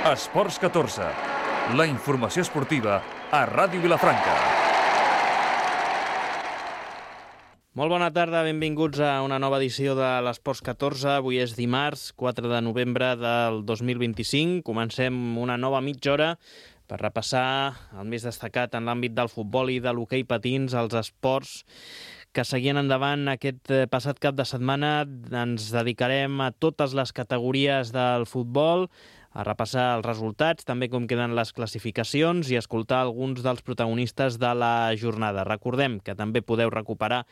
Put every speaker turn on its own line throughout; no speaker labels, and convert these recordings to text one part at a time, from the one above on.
Esports 14, la informació esportiva a Ràdio Vilafranca.
Molt bona tarda, benvinguts a una nova edició de l'Esports 14. Avui és dimarts, 4 de novembre del 2025. Comencem una nova mitja hora per repassar el més destacat en l'àmbit del futbol i de l'hoquei patins, els esports que seguien endavant aquest passat cap de setmana. Ens dedicarem a totes les categories del futbol, a repassar els resultats, també com queden les classificacions i escoltar alguns dels protagonistes de la jornada. Recordem que també podeu recuperar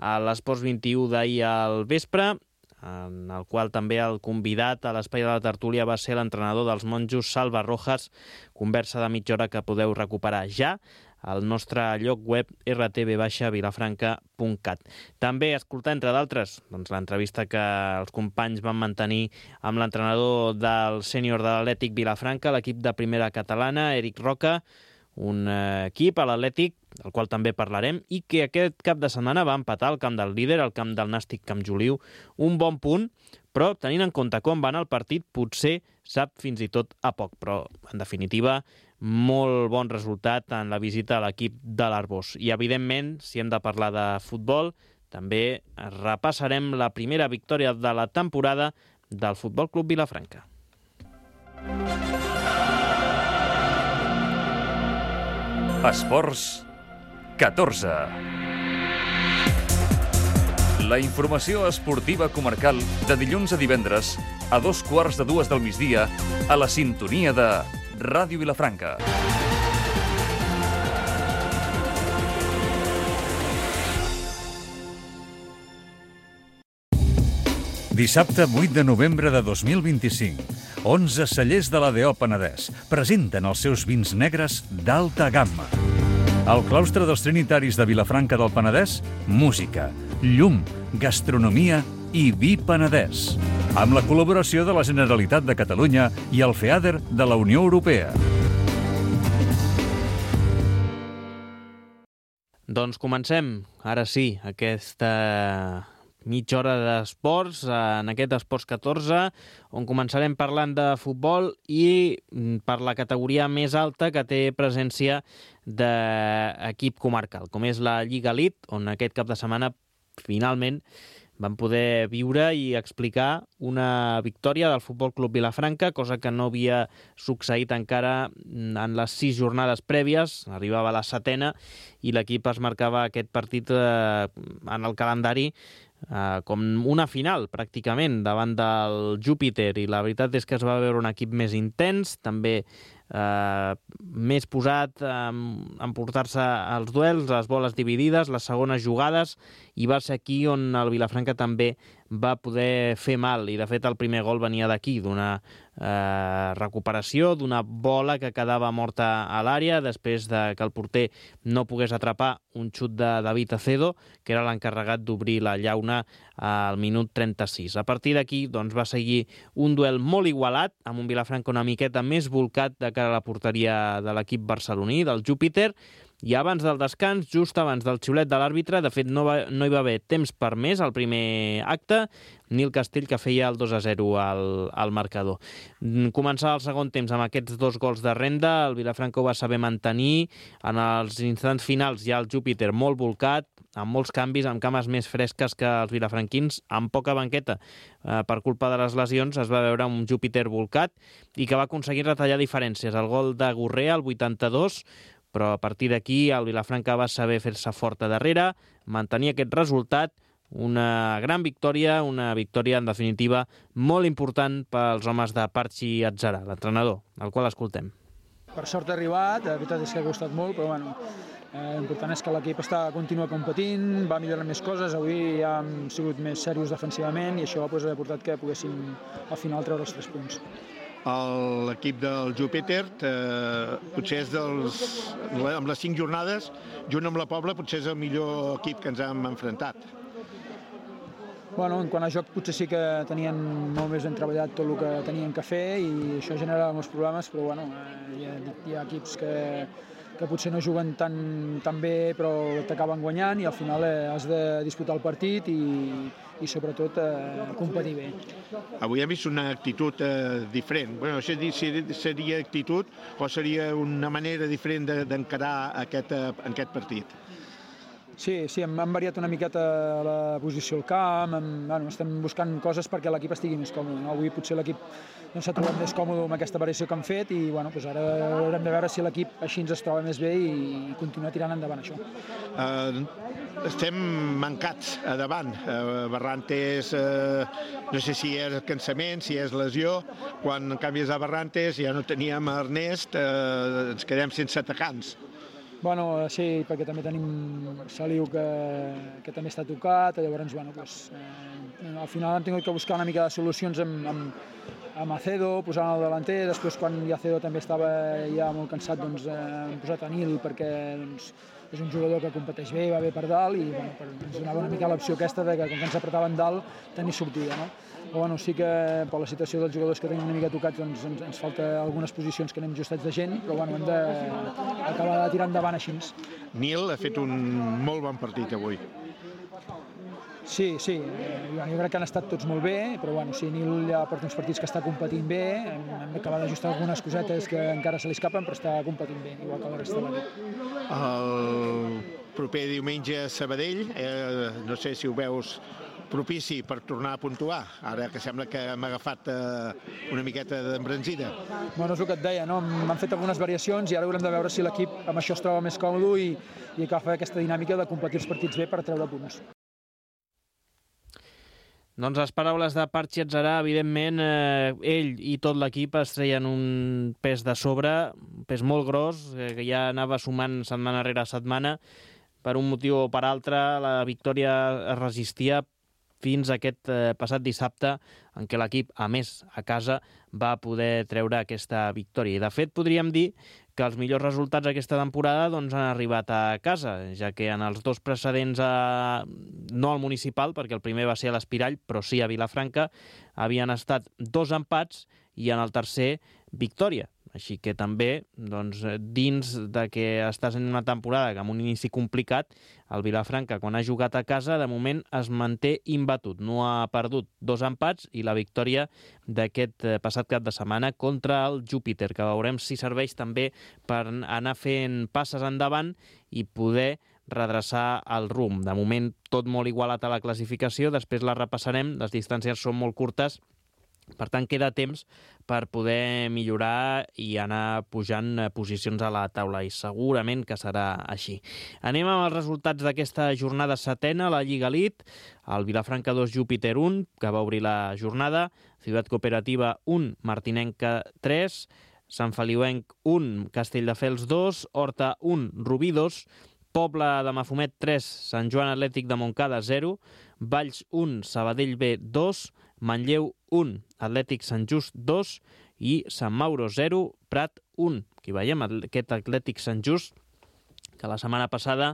a l'Esports 21 d'ahir al vespre, en el qual també el convidat a l'espai de la tertúlia va ser l'entrenador dels monjos, Salva Rojas, conversa de mitja hora que podeu recuperar ja al nostre lloc web rtv-vilafranca.cat. També escoltar, entre d'altres, l'entrevista que els companys van mantenir amb l'entrenador del sènior de l'Atlètic Vilafranca, l'equip de primera catalana, Eric Roca, un equip a l'Atlètic, del qual també parlarem, i que aquest cap de setmana va empatar al camp del líder, al camp del Nàstic Camp Joliu, un bon punt, però tenint en compte com va anar el partit, potser sap fins i tot a poc, però en definitiva molt bon resultat en la visita a l'equip de l'Arbós. I evidentment, si hem de parlar de futbol, també repassarem la primera victòria de la temporada del Futbol Club Vilafranca.
Esports 14. La informació esportiva comarcal de dilluns a divendres a 2:15 del migdia a la sintonia de Ràdio Vilafranca. Dissabte 8 de novembre de 2025. 11 cellers de l'ADO Penedès presenten els seus vins negres d'alta gamma. Al claustre dels Trinitaris de Vilafranca del Penedès, música, llum, gastronomia i vi penedès. Amb la col·laboració de la Generalitat de Catalunya i el FEADER de la Unió Europea.
Doncs comencem, ara sí, aquesta mitja hora d'esports, en aquest Esports 14, on començarem parlant de futbol i per la categoria més alta que té presència d'equip comarcal, com és la Lliga Elite, on aquest cap de setmana finalment van poder viure i explicar una victòria del Futbol Club Vilafranca, cosa que no havia succeït encara en les 6 jornades prèvies. Arribava a la 7ª i l'equip es marcava aquest partit en el calendari com una final, pràcticament, davant del Júpiter, i la veritat és que es va veure un equip més intens, també més posat en emportar-se els duels, les boles dividides, les segones jugades, i va ser aquí on el Vilafranca també va poder fer mal, i de fet el primer gol venia d'aquí, d'una recuperació, d'una bola que quedava morta a l'àrea després de que el porter no pogués atrapar un xut de David Acedo, que era l'encarregat d'obrir la llauna al minut 36. A partir d'aquí doncs, va seguir un duel molt igualat, amb un Vilafranca una miqueta més volcat de cara a la porteria de l'equip barceloní, del Júpiter, i abans del descans, just abans del xiulet de l'àrbitre, de fet no hi va haver temps per més al primer acte, Nil Castell, que feia el 2-0 al marcador. Començava el segon temps amb aquests 2 gols de renda, el Vilafranca ho va saber mantenir, en els instants finals ja el Júpiter molt volcat, amb molts canvis, amb cames més fresques que els vilafranquins, amb poca banqueta. Per culpa de les lesions es va veure un Júpiter volcat i que va aconseguir retallar diferències. El gol de Gurrea, al 82, però a partir d'aquí el Vilafranca va saber fer-se fort a darrere, mantenir aquest resultat, una gran victòria, una victòria en definitiva molt important pels homes de Parchi Atzara, l'entrenador, el qual escoltem.
Per sort ha arribat, la veritat és que ha costat molt, però bueno, l'important és que l'equip continua competint, va millorar més coses, avui ja hem sigut més serios defensivament i això ha portat que poguéssim al final treure els 3 punts.
L'equip del Júpiter potser és amb les 5 jornades, junt amb la Pobla, potser és el millor equip que ens hem enfrontat.
Bueno, en quant a joc potser sí que tenien molt més ben treballat tot el que tenien que fer i això generava molts problemes, però bueno, hi ha equips que potser no juguen tan bé però t'acaben guanyant i al final has de disputar el partit i sobretot competir bé.
Avui hem vist una actitud diferent. Bueno, no sé si seria actitud o seria una manera diferent d'encarar aquest partit.
Sí, hem variat una miqueta la posició al camp, estem buscant coses perquè l'equip estigui més còmode. Avui potser l'equip no s'ha trobat més còmode amb aquesta variació que han fet i ara haurem de veure si l'equip així ens es troba més bé i continuar tirant endavant això.
Estem mancats a davant. Barrantes, no sé si és cansament, si és lesió. Quan canvies a Barrantes ja no teníem Ernest, ens quedem sense atacants.
Bueno, sí, perquè també tenim Saliu que també està tocat, llavors, al final hem tingut que buscar una mica de solucions amb Acedo, posant el delanter, després quan Acedo també estava ja molt cansat, hem posat a Nil perquè és un jugador que competeix bé, va bé per dalt i ens donava una mica l'opció aquesta de que quan ens apretaven dalt tenir sortida, no? Però sí que per la situació dels jugadors que tenim una mica tocats ens falta algunes posicions que anem justats de gent, però hem d'acabar de tirar endavant així.
Nil ha fet un molt bon partit avui.
Sí, jo crec que han estat tots molt bé, però sí, Nil ja porta uns partits que està competint bé, hem d'acabar d'ajustar algunes cosetes que encara se li escapen, però està competint bé, igual que la resta de l'equip.
El proper diumenge a Sabadell, no sé si ho veus propici per tornar a puntuar, ara que sembla que hem agafat una miqueta d'embranzida.
Bueno, és el que et deia, no? M'han fet algunes variacions i ara haurem de veure si l'equip amb això es troba més còmode i agafa aquesta dinàmica de competir els partits bé per treure punts.
Doncs les paraules de Parchi Atzarà, evidentment, ell i tot l'equip es treien un pes de sobre, un pes molt gros, que ja anava sumant setmana rere setmana. Per un motiu o per altre, la victòria es resistia fins a aquest passat dissabte, en què l'equip, a més, a casa, va poder treure aquesta victòria. I, de fet, podríem dir que els millors resultats d'aquesta temporada han arribat a casa, ja que en els dos precedents, no al Municipal, perquè el primer va ser a l'Espirall, però sí a Vilafranca, havien estat 2 empats i en el tercer, victòria. Així que també, dins de que estàs en una temporada amb un inici complicat, el Vilafranca, quan ha jugat a casa, de moment es manté imbatut. No ha perdut 2 empats i la victòria d'aquest passat cap de setmana contra el Júpiter, que veurem si serveix també per anar fent passes endavant i poder redreçar el rumb. De moment, tot molt igualat a la classificació, després la repassarem, les distàncies són molt curtes, per tant, queda temps per poder millorar i anar pujant posicions a la taula, i segurament que serà així. Anem amb els resultats d'aquesta jornada setena, la Lliga Elite. El Vilafranca 2, Júpiter 1, que va obrir la jornada. Ciutat Cooperativa 1, Martinenca 3. Sant Feliuenc 1, Castelldefels 2. Horta 1, Rubí 2. Pobla de Mafumet 3, Sant Joan Atlètic de Montcada 0. Valls 1, Sabadell B 2. Manlleu 1, Atlètic Sant Just 2 i Sant Mauro 0, Prat 1. Aquí veiem aquest Atlètic Sant Just, que la setmana passada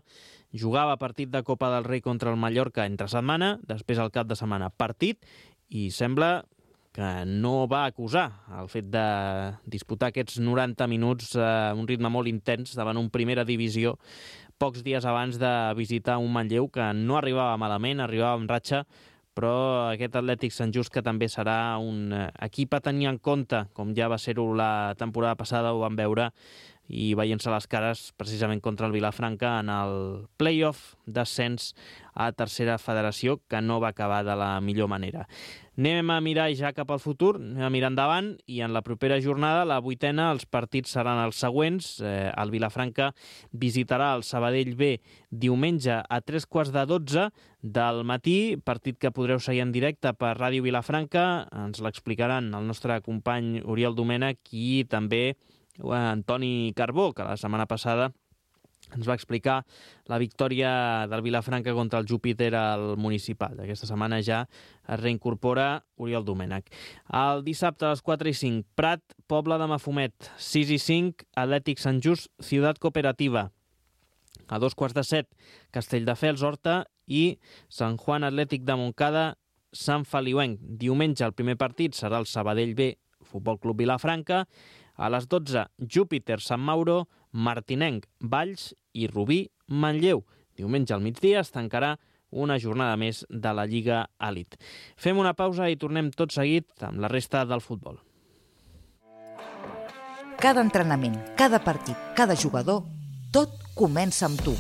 jugava partit de Copa del Rei contra el Mallorca entre setmana, després al cap de setmana partit, i sembla que no va acusar el fet de disputar aquests 90 minuts a un ritme molt intens davant un primera divisió, pocs dies abans de visitar un Manlleu que no arribava malament, arribava amb ratxa, però aquest Atlètic Sant Just, que també serà un equip a tenir en compte, com ja va ser-ho la temporada passada, ho vam veure, i veient-se les cares precisament contra el Vilafranca en el play-off d'ascens a tercera federació, que no va acabar de la millor manera. Anem a mirar ja cap al futur, anem a mirar endavant, i en la propera jornada, la 8ena, els partits seran els següents. El Vilafranca visitarà el Sabadell B diumenge a 3:15 del matí, partit que podreu seguir en directe per Ràdio Vilafranca. Ens l'explicaran el nostre company Oriol Domènech i també Antoni Carbó, que la setmana passada ens va explicar la victòria del Vilafranca contra el Júpiter al Municipal. Aquesta setmana ja es reincorpora Oriol Domènech. El dissabte a les 4:05, Prat, Pobla de Mafumet. 6:05, Atlètic Sant Just, Ciutat Cooperativa. A 2:15, Castelldefels, Horta, i Sant Joan Atlètic de Montcada, Sant Feliuenc. Diumenge el primer partit serà el Sabadell B, Futbol Club Vilafranca. A les 12, Júpiter, Sant Mauro. Martinenc, Valls i Rubí, Manlleu. Diumenge al migdia es tancarà una jornada més de la Lliga Elite. Fem una pausa i tornem tot seguit amb la resta del futbol.
Cada entrenament, cada partit, cada jugador, tot comença amb tu.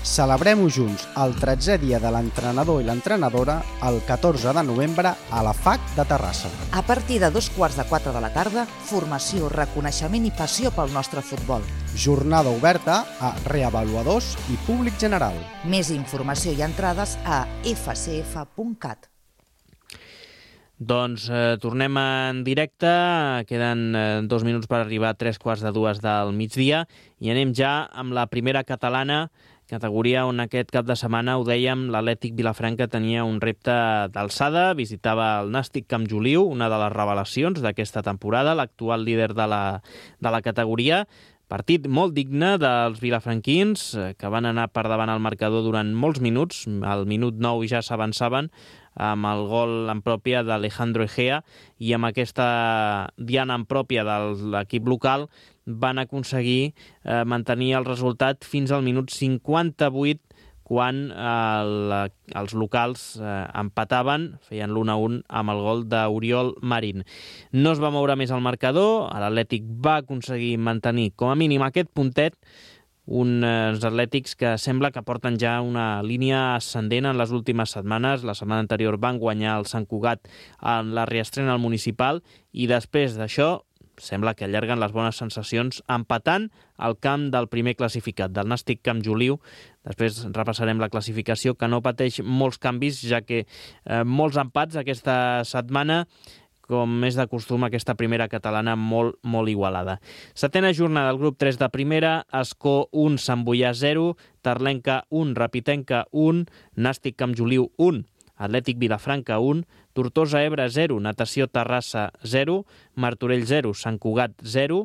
Celebrem-ho junts el 13è dia de l'entrenador i l'entrenadora el 14 de novembre a la FAC de Terrassa.
A partir de 3:45 de la tarda, formació, reconeixement i passió pel nostre futbol.
Jornada oberta a reavaluadors i públic general.
Més informació i entrades a fcf.cat.
Doncs tornem en directe, queden 2 minuts per arribar a 3:45 del migdia i anem ja amb la primera catalana, categoria on aquest cap de setmana, ho dèiem, l'Atlètic Vilafranca tenia un repte d'alçada, visitava el Nàstic Camp Joliu, una de les revelacions d'aquesta temporada, l'actual líder de la categoria. Partit molt digne dels vilafranquins, que van anar per davant al marcador durant molts minuts. Al minut 9 ja s'avançaven amb el gol en pròpia d'Alejandro Egea i amb aquesta diana en pròpia de l'equip local van aconseguir mantenir el resultat fins al minut 58, quan els locals empataven, feien l'1-1 amb el gol d'Oriol Marín. No es va moure més el marcador, l'Atlètic va aconseguir mantenir com a mínim aquest puntet, uns atlètics que sembla que porten ja una línia ascendent en les últimes setmanes. La setmana anterior van guanyar el Sant Cugat en la reestrena al municipal i després d'això sembla que allarguen les bones sensacions empatant al camp del primer classificat, del Nàstic Camp Joliu. Després repassarem la classificació, que no pateix molts canvis, ja que molts empats aquesta setmana, com és de costum, aquesta primera catalana molt igualada. Setena jornada del grup 3 de primera, Escó 1, Sant Boià 0, Terlenca 1, Rapitenca 1, Nàstic Camp Joliu 1, Atlètic Vilafranca 1, Tortosa Ebre 0, Natació Terrassa 0, Martorell 0, Sant Cugat 0,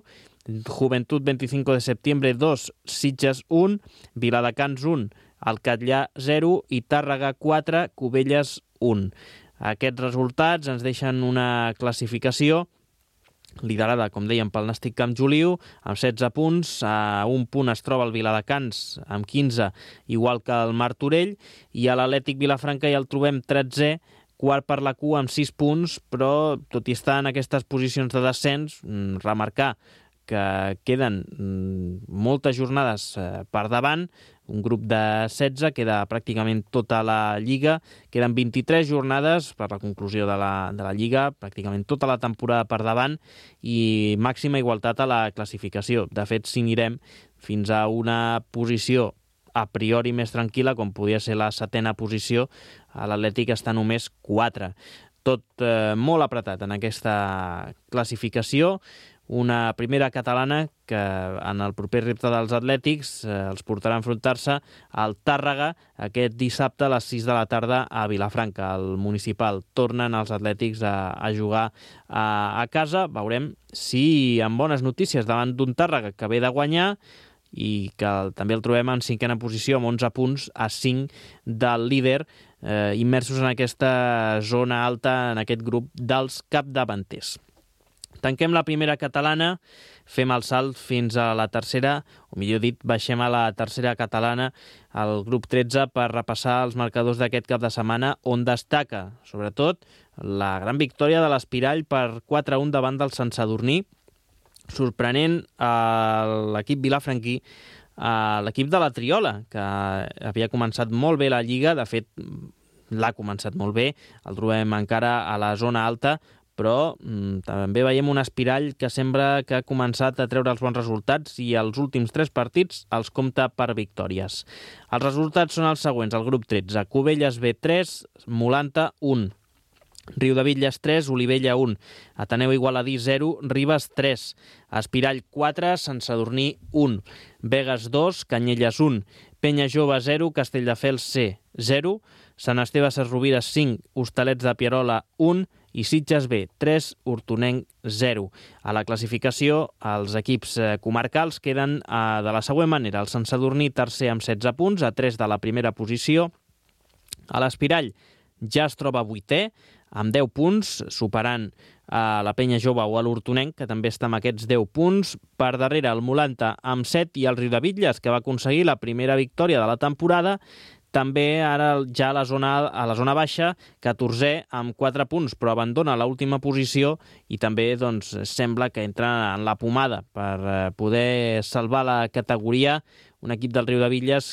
Juventud 25 de Septiembre 2, Sitges 1, Viladecans 1, Alcatllà 0 i Tàrrega 4, Cubelles 1. Aquests resultats ens deixen una classificació liderada, com dèiem, pel Nàstic Camp Joliu, amb 16 punts. A un punt es troba el Viladecans, amb 15, igual que el Martorell, i a l'Atlètic Vilafranca ja el trobem 13è, quart per la cua amb 6 punts, però tot i estar en aquestes posicions de descens, remarcar que queden moltes jornades per davant, un grup de 16, queda pràcticament tota la Lliga, queden 23 jornades per la conclusió de la Lliga, pràcticament tota la temporada per davant i màxima igualtat a la classificació. De fet, si mirem fins a una posició a priori més tranquil·la, com podia ser la 7a posició, l'Atlètic està només 4. Tot molt apretat en aquesta classificació. Una primera catalana que en el proper repte dels atlètics els portarà a enfrontar-se al Tàrrega aquest dissabte a les 6 de la tarda a Vilafranca, al municipal. Tornen els atlètics a jugar a casa. Veurem si amb bones notícies davant d'un Tàrrega que ve de guanyar i que també el trobem en 5a posició amb 11 punts a 5 del líder, immersos en aquesta zona alta, en aquest grup dels capdavanters. Tanquem la primera catalana, fem el salt fins a la tercera, o millor dit, baixem a la tercera catalana, al grup 13, per repassar els marcadors d'aquest cap de setmana, on destaca, sobretot, la gran victòria de l'Espirall per 4-1 davant del Sant Sadurní, sorprenent l'equip vilafranquí, l'equip de la Triola, que havia començat molt bé la Lliga, de fet, l'ha començat molt bé, el trobem encara a la zona alta, però també veiem un Espirall que sembla que ha començat a treure els bons resultats i els últims 3 partits els compta per victòries. Els resultats són els següents, al grup 13, Cubelles B 3, Molanta 1, Riudebitlles 3, Olivella 1, Ateneu Igualadí 0, Ribes 3, Espirall 4, Sant Sadurní 1, Begues 2, Canyelles 1, Penya Jove 0, Castelldefels C 0, Sant Esteve Sesrovires 5, Hostalets de Pierola 1 i Sitges B 3, Hortonenc 0. A la classificació, els equips comarcals queden de la següent manera. El Sant Sadurní tercer amb 16 punts, a 3 de la primera posició. A l'Espirall ja es troba 8è, amb 10 punts, superant a la Penya Jove o a l'Hortonenc, que també està amb aquests 10 punts. Per darrere el Molanta amb 7 i el Riudebitlles, que va aconseguir la primera victòria de la temporada. També ara ja a la zona baixa, 14è amb 4 punts, però abandona l'última posició i també sembla que entra en la pomada per poder salvar la categoria. Un equip del Riudebitlles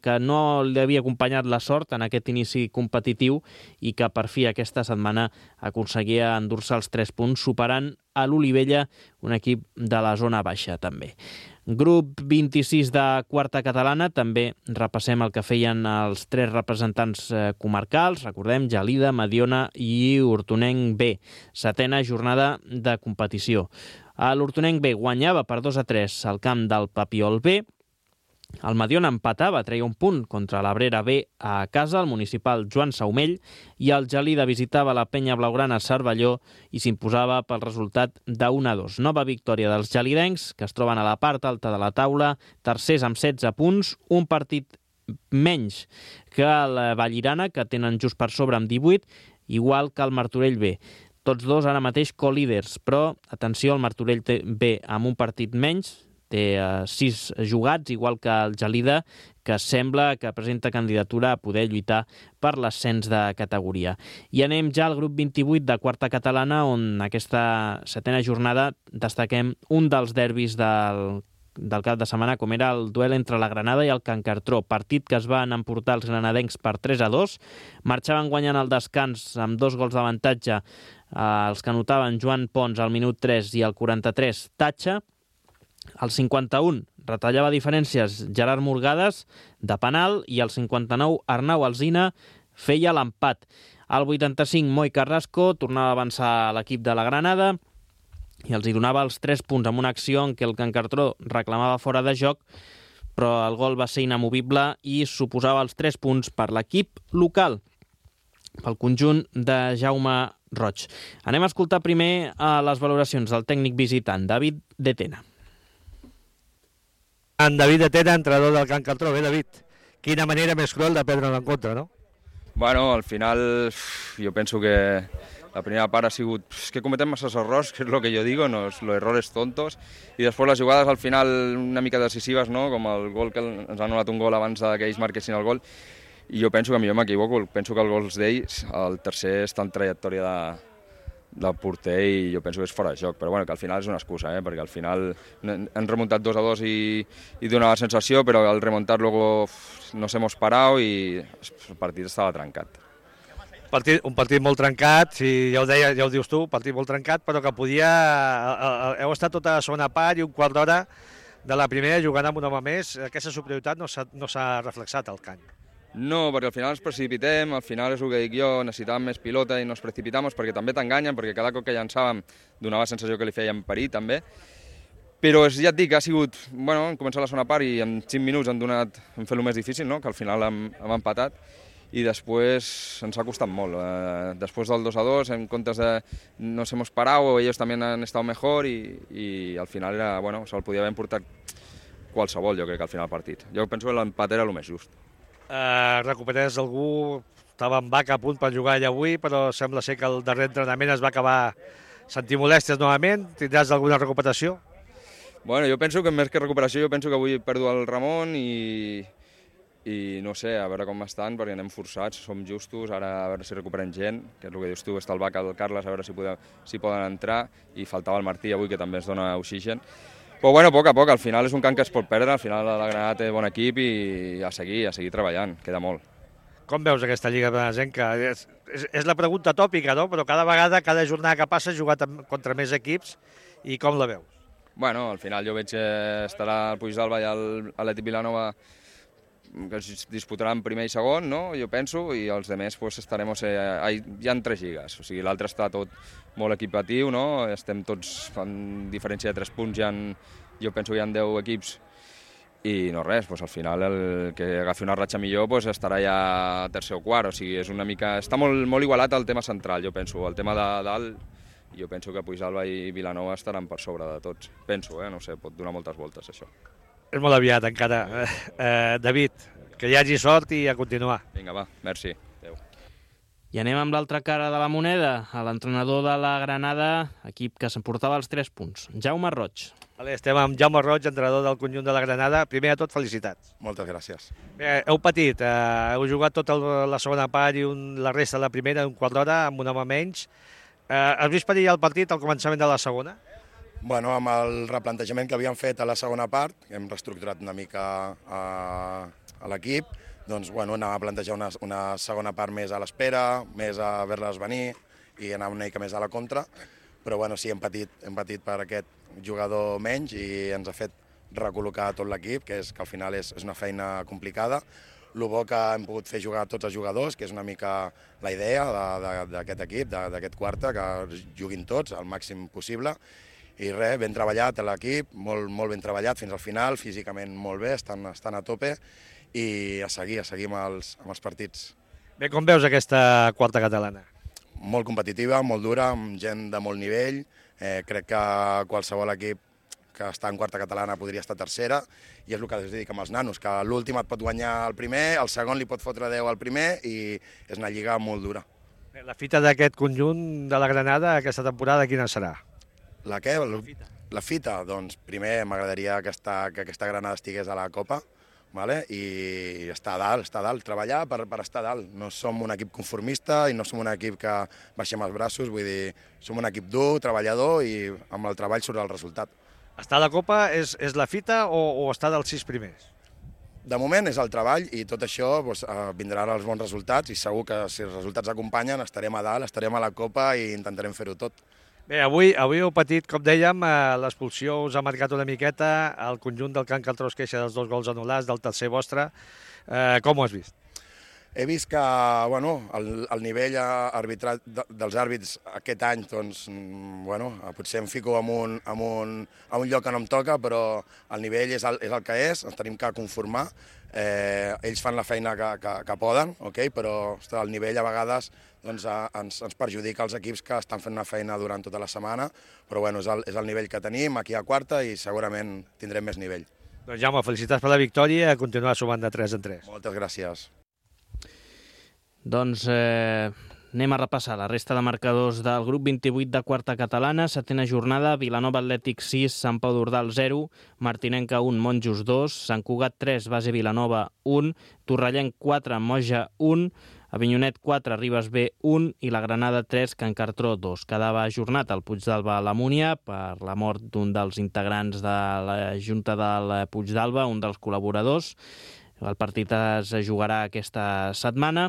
que no li havia acompanyat la sort en aquest inici competitiu i que per fi aquesta setmana aconseguia endur-se els 3 punts, superant a l'Olivella, un equip de la zona baixa també. Grup 26 de quarta catalana, també repassem el que feien els 3 representants comarcals, recordem, Gelida, Mediona i Hortonenc B. 7a jornada de competició. L'Hortonenc B guanyava per 2-3 al camp del Papiol B. El Mediona empatava, treia un punt contra l'Abrera B a casa, el municipal Joan Saumell, i el Gelida visitava la Penya Blaugrana a Cervelló i s'imposava pel resultat de 1-2. Nova victòria dels gelidencs, que es troben a la part alta de la taula, tercers amb 16 punts, un partit menys que el Vallirana, que tenen just per sobre amb 18, igual que el Martorell B. Tots dos ara mateix co-líders, però atenció, el Martorell B amb un partit menys, té 6 jugats, igual que el Gelida, que sembla que presenta candidatura a poder lluitar per l'ascens de categoria. I anem ja al grup 28 de quarta catalana, on aquesta 7a jornada destaquem un dels derbis del cap de setmana, com era el duel entre la Granada i el Can Cartró, partit que es van emportar els granadencs per 3-2, marxaven guanyant el descans amb 2 gols d'avantatge, els que anotaven Joan Pons al minut 3 i al 43 Tatxa. Al 51 retallava diferències Gerard Morgades de penal i al 59 Arnau Alsina feia l'empat. Al 85 Moi Carrasco tornava a avançar l'equip de la Granada i els hi donava els 3 punts amb una acció en què el Can Cartró reclamava fora de joc, però el gol va ser inamovible i suposava els 3 punts per l'equip local, pel conjunt de Jaume Roig. Anem a escoltar primer les valoracions del tècnic visitant, David De Tena.
En David De Tena, entrenador del Can Cartró. Bé, David, quina manera més cruel de perdre l'encontre, no?
Bueno, al final jo penso que la primera part ha sigut que cometem masses errors, que és el que jo digo, los errores tontos, i després les jugades al final una mica decisives, no? Com el gol que ens han anul·lat un gol abans que ells marquessin el gol, i jo penso que millor m'equivoco, penso que el gol d'ells, el tercer està en trajectòria del porter i jo penso que és fora de joc, però bueno, que al final és una excusa, perquè al final han remuntat 2-2 i donava la sensació, però al remuntar luego nos hemos parado i el partit estava trencat.
Un partit molt trencat, si ja ho dius tu, un partit molt trencat, però que podia... Heu estat tota la segona part i un quart d'hora de la primera jugant amb un home més. Aquesta superioritat no s'ha reflexat al camp.
No, perquè al final ens precipitem, al final és el que dic jo, necessitàvem més pilota i nos precipitamos perquè també t'enganyen, perquè cada cop que llançàvem donava la sensació que li feien parir també. Però ja et dic, ha sigut, bueno, hem començat la segona part i en 5 minuts han fet el més difícil, no? Que al final hem empatat i després ens ha costat molt. Després del 2-2, en comptes de nos hemos parado, ellos también han estado mejor i al final era, bueno, se'l podia haver emportat qualsevol, jo crec, al final del partit. Jo penso que l'empat era el més just.
Recuperés algú, estava en vaca a punt per jugar allà avui, però sembla ser que el darrer entrenament es va acabar sentint molèsties novament. Tindràs alguna recuperació?
Bueno, jo penso que més que recuperació, jo penso que avui perdo el Ramon i no sé, a veure com estan, perquè anem forçats, som justos, ara a veure si recuperen gent, que és el que dius tu, està el Vaca, el Carles, a veure si poden entrar, i faltava el Martí avui, que també ens dona oxigen. Però bueno, a poc a poc, al final és un camp que es pot perdre, al final la Granada té bon equip i a seguir treballant, queda molt.
Com veus aquesta Lliga Benesenca? És la pregunta tòpica, no? Però cada vegada, cada jornada que passa, has jugat contra més equips, i com la veus?
Bueno, al final jo veig que estarà el Puigdàlber i l'Atlètic Vilanova que es disputaran primer i segon, no? Jo penso, i els altres pues, estarem... Hi ha 3 lligues, o sigui, l'altre està tot molt equipatiu, no? Estem tots en diferència de 3 punts, jo penso que hi ha 10 equips, i no res, pues, al final el que agafi una ratxa millor pues, estarà ja tercer o quart, o sigui, és una mica... Està molt igualat el tema central, jo penso, el tema de dalt, jo penso que Puigdàlber i Vilanova estaran per sobre de tots, penso, no sé, pot donar moltes voltes això.
És molt aviat encara. David, que hi hagi sort i a continuar.
Vinga, va, merci. Adéu.
I anem amb l'altra cara de la moneda, a l'entrenador de la Granada, equip que s'emportava els 3 punts. Jaume Roig.
Estem amb Jaume Roig, entrenador del conjunt de la Granada. Primer de tot, felicitats.
Moltes gràcies.
Bé, heu patit, heu jugat tota la segona part i la resta de la primera, un quart d'hora, amb un home menys. Has vist perillar el partit al començament de la segona?
Bueno, amb el replantejament que havíem fet a la segona part, hem reestructurat una mica a l'equip, doncs bueno, anàvem a plantejar una segona part més a l'espera, més a veure-les venir i anar una mica més a la contra, però bueno, sí, hem patit per aquest jugador menys i ens ha fet recol·locar tot l'equip, que al final és una feina complicada. El bo que hem pogut fer jugar tots els jugadors, que és una mica la idea d'aquest equip, d'aquest quarta, que juguin tots al màxim possible. I res, ben treballat l'equip, molt ben treballat fins al final, físicament molt bé, estan a tope i a seguir amb els partits.
Bé, com veus aquesta quarta catalana?
Molt competitiva, molt dura, amb gent de molt nivell. Crec que qualsevol equip que està en quarta catalana podria estar tercera, i és el que us dic amb els nanos, que l'últim et pot guanyar el primer, el segon li pot fotre 10 al primer, i és una lliga molt dura.
La fita d'aquest conjunt de la Granada aquesta temporada quina serà?
La què? La fita? Doncs primer m'agradaria que aquesta Granada estigués a la Copa, vale? I estar a dalt, treballar per estar a dalt. No som un equip conformista i no som un equip que baixem els braços, vull dir, som un equip dur, treballador, i amb el treball surt el resultat.
Estar a la Copa és la fita o estar dels 6 primers?
De moment és el treball i tot això vindran els bons resultats, i segur que si els resultats acompanyen estarem a dalt, estarem a la Copa i intentarem fer-ho tot.
Bé, avui heu patit, com dèiem, l'expulsió us ha marcat una miqueta, el conjunt del Can Caltró es queixa dels 2 gols anul·lats, del tercer vostre. Com ho has vist?
He vist que el nivell arbitrat dels àrbits aquest any, doncs, potser em fico en un lloc que no em toca, però el nivell és el que és, ens tenim que conformar. Ells fan la feina que poden, però el nivell a vegades ens perjudica als equips que estan fent una feina durant tota la setmana, però és el nivell que tenim aquí a quarta i segurament tindrem més nivell.
Doncs Jaume, felicitats per la victòria i a continuar sumant de 3 en 3.
Moltes gràcies.
Doncs anem a repassar la resta de marcadors del grup 28 de quarta catalana. Setena jornada, Vilanova Atlètic 6, Sant Pau d'Ordal 0, Martinenca 1, Monjos 2, Sant Cugat 3, Base Vilanova 1, Torrellenc 4, Moja 1, Avinyonet 4, Ribes B 1 i la Granada 3, Can Cartró 2. Quedava ajornat el Puigdàlber a la Múnia per la mort d'un dels integrants de la Junta del Puigdàlber, un dels col·laboradors. El partit es jugarà aquesta setmana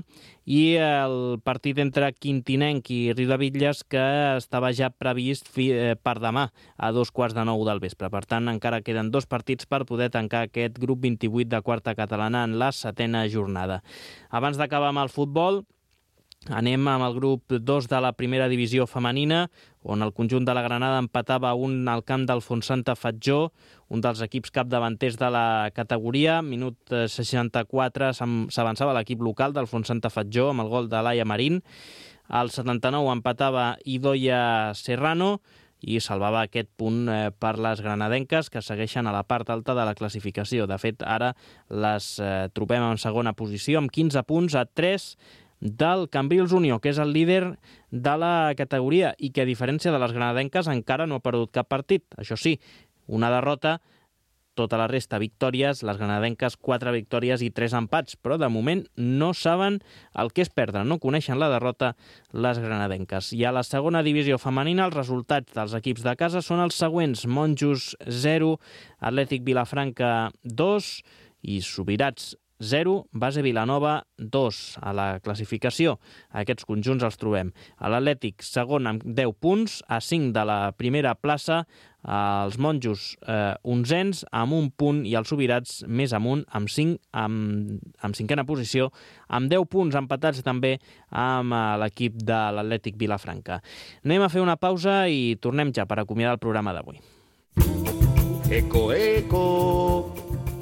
i el partit entre Quintinenc i Riudebitlles, que estava ja previst per demà a 9:15 del vespre. Per tant, encara queden 2 partits per poder tancar aquest grup 28 de quarta catalana en la 7a jornada. Abans d'acabar amb el futbol, anem amb el grup 2 de la primera divisió femenina, on el conjunt de la Granada empatava al camp del Fontsanta Fatjó, un dels equips capdavanters de la categoria. Minut 64 s'avançava l'equip local del Fontsanta Fatjó amb el gol de Laia Marín. Al 79 empatava Idoia Serrano i salvava aquest punt per les granadenques, que segueixen a la part alta de la classificació. De fet, ara les trobem en segona posició amb 15 punts a 3 del Cambrils Unió, que és el líder de la categoria i que, a diferència de les granadenques, encara no ha perdut cap partit. Això sí, una derrota, tota la resta victòries, les granadenques 4 victòries i 3 empats, però de moment no saben el que és perdre, no coneixen la derrota les granadenques. I a la segona divisió femenina els resultats dels equips de casa són els següents: Monjos 0, Atlètic Vilafranca 2 i Subirats 0, Base Vilanova 2 a la classificació. Aquests conjunts els trobem a l'Atlètic segon amb 10 punts, a 5 de la primera plaça, els Monjos 11 amb 1 punt i els Subirats més amunt amb 5 amb cinquena posició, amb 10 punts empatats també amb l'equip de l'Atlètic Vilafranca. Anem a fer una pausa i tornem ja per acomiadar el programa d'avui.
Eco, eco!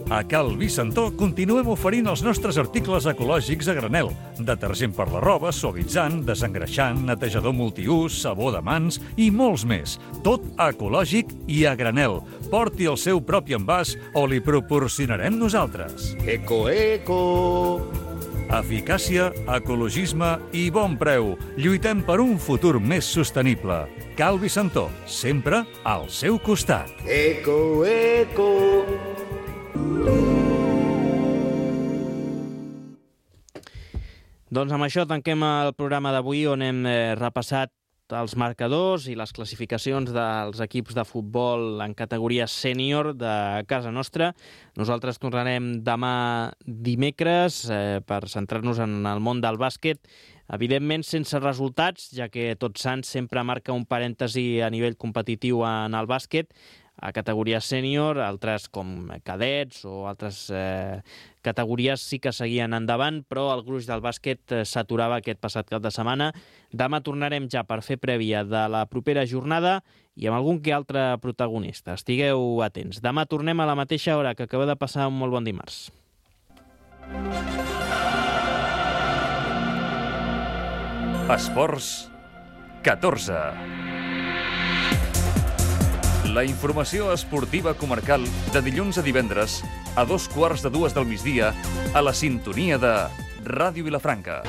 A Cal Vicentó continuem oferint els nostres articles ecològics a granel. Detergent per la roba, suavitzant, desengreixant, netejador multiús, sabó de mans i molts més. Tot ecològic i a granel. Porti el seu propi envàs o li proporcionarem nosaltres.
Eco, eco!
Eficàcia, ecologisme i bon preu. Lluitem per un futur més sostenible. Calvi Santó, sempre al seu costat.
Eco, eco.
Doncs amb això tanquem el programa d'avui, on hem repassat els marcadors i les classificacions dels equips de futbol en categoria sènior de casa nostra. Nosaltres tornarem demà dimecres per centrar-nos en el món del bàsquet, evidentment sense resultats, ja que Tots Sants sempre marca un parèntesi a nivell competitiu en el bàsquet, a categoria sènior, altres com cadets o altres categories sí que seguien endavant, però el gruix del bàsquet s'aturava aquest passat cap de setmana. Demà tornarem ja per fer prèvia de la propera jornada i amb algun que altre protagonista. Estigueu atents. Demà tornem a la mateixa hora, que acaba de passar un molt bon dimarts.
Esports 14. La informació esportiva comarcal de dilluns a divendres a 2:15 del migdia a la sintonia de Ràdio Vilafranca.